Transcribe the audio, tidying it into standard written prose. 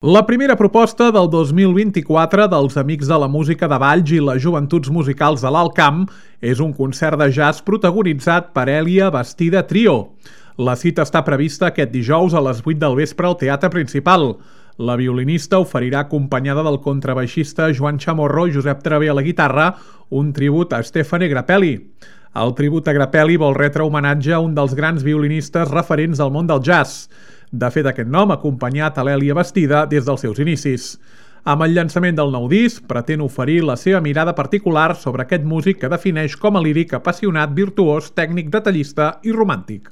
La primera proposta del 2024 dels Amics de la Música de Valls i les Joventuts Musicals de l'Alt Camp és un concert de jazz protagonitzat per Èlia Bastida Trio. La cita està prevista aquest dijous a les 8 del vespre al Teatre Principal. La violinista oferirà, acompanyada del contrabaixista Joan Chamorro i Josep Travé a la guitarra, un tribut a Stefano Grappelli. El tribut a Grappelli vol retre homenatge a un dels grans violinistes referents del món del jazz. De fet, aquest nom ha acompanyat a l'Èlia Bastida des dels seus inicis. Amb el llançament del nou disc, pretén oferir la seva mirada particular sobre aquest músic que defineix com a líric apassionat, virtuós, tècnic, detallista i romàntic.